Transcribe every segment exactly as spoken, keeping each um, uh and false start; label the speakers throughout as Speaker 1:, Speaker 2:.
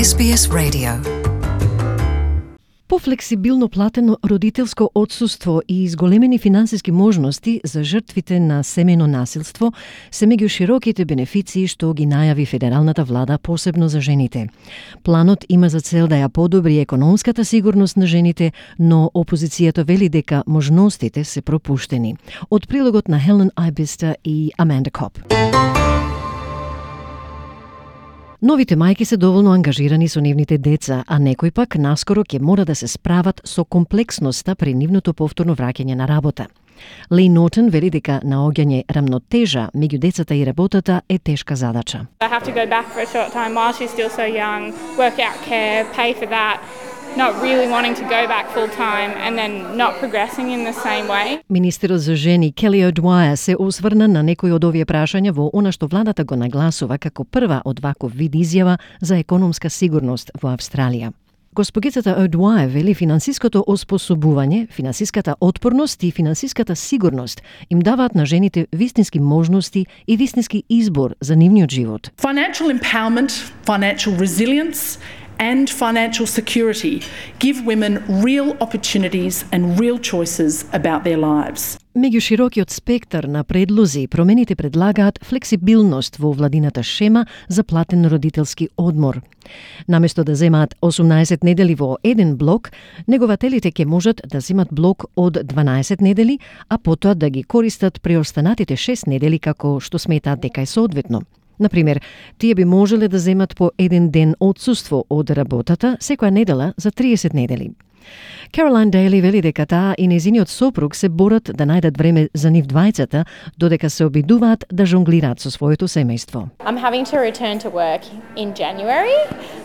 Speaker 1: Ес Би Ес Radio.
Speaker 2: Пофлексибилно платено родителско отсуство и изголемени финансиски можности за жртвите на семејно насилство се меѓу широките бенефиции што ги најави федералната влада посебно за жените. Планот има за цел да ја подобри економската сигурност на жените, но опозицијата вели дека можностите се пропуштени. Од прилогот на Хелен Айбиста и Аманда Коп. Новите мајки се доволно ангажирани со нивните деца, а некои пак наскоро ќе мора да се справат со комплексноста при нивното повторно враќање на работа. Лей Нортон вели дека наоѓање рамнотежа меѓу децата и работата е тешка задача.
Speaker 3: I have to go back for a short time while she's still so young, work out care, pay for that. Not really wanting to go back full time and then not progressing in the same way.
Speaker 2: Министерот за жени Келли О'Двајер се осврна на некои од овие прашања во она што владата го нагласува како прва од ваков вид изјава за економска сигурност во Австралија. Госпогицата О'Двајер вели финансиското оспособување, финансиската отпорност и финансиската сигурност им даваат на жените вистински можности и вистински избор за нивниот живот.
Speaker 4: Financial empowerment, financial resilience and financial security give women real opportunities and real choices about their lives.
Speaker 2: Меѓу широкиот спектар на предлози, промените предлагаат флексибилност во владината шема за платен родителски одмор. Наместо да земаат осумнаесет недели во еден блок, негователите ќе можат да земат блок од дванаесет недели, а потоа да ги користат преостанатите шест недели како што сметаат дека е соодветно. Например, тие би можеле да земат по еден ден отсуство од работата секоја недела за триесет недели. Каролайн Дејли вели дека таа и нејзиниот сопруг се борат да најдат време за нив двајцата, додека се обидуваат да жонглираат со своето семејство.
Speaker 5: I'm having to return to work in January,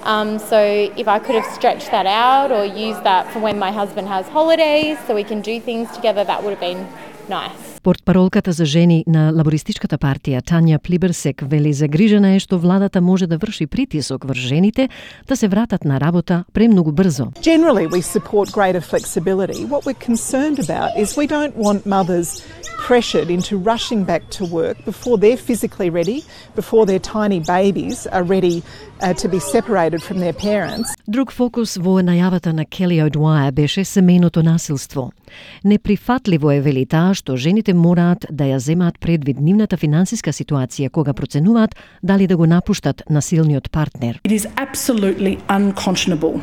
Speaker 5: um, so if I could have stretched that out or used that for when my husband has holidays so we can do things together, that would have been nice.
Speaker 2: Портпаролката за жени на лабористичката партија Тања Плиберсек вели загрижена е што владата може да врши притисок врз жените да се вратат на работа премногу брзо.
Speaker 6: Generally we support greater flexibility. What we're concerned about is we don't want mothers pressured into rushing back to work before they're physically ready, before their tiny babies are ready uh, to be separated from their parents.
Speaker 2: Друг фокус во најавата на Келли О'Двајер беше семејното насилство. Неприфатливо е вели таа што жените мораат да ја земаат предвид нивната финансиска ситуација кога проценуваат дали да го напуштат насилниот партнер.
Speaker 4: It is absolutely unconscionable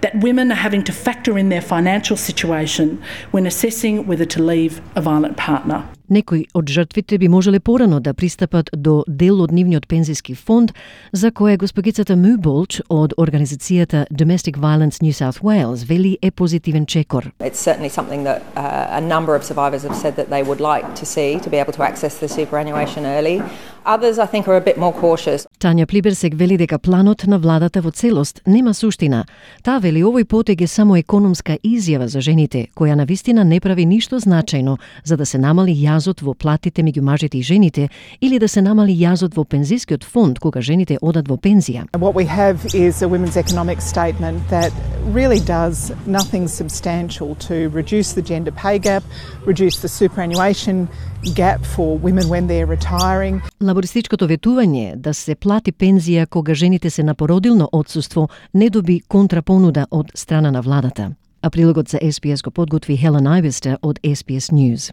Speaker 4: that women are having to factor in their financial situation when assessing whether to leave a violent partner.
Speaker 2: Некои од жртвите би можеле порано да пристапат до дел од нивниот пензиски фонд, за кое госпогицата Му Болч од организацијата Domestic Violence New South Wales вели е позитивен чекор.
Speaker 7: It's certainly something that uh, a number of survivors have said that they would like to see, to be able to access the superannuation early. Others, I think, are a bit more cautious.
Speaker 2: Тања Плиберсек вели дека планот на владата во целост нема суштина. Таа вели овој потег е само економска изјава за жените, која навистина не прави ништо значајно за да се намали јазот во платите меѓу мажите и жените или да се намали јазот во пензискиот фонд кога жените одат во пензија.
Speaker 6: What we have is a women's economic statement that really does nothing substantial to reduce the gender pay gap, reduce the superannuation gap for women when they're retiring.
Speaker 2: Лабористичкото ветување да се плати пензија кога жените се на породилно отсуство не доби контрапонуда од страна на владата. А прилогот за Ес Би Ес го подготви Хелен Айбиста од Ес Би Ес News.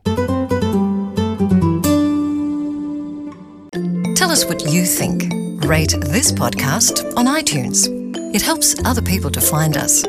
Speaker 1: Tell us what you think. Rate this podcast on iTunes. It helps other people to find us.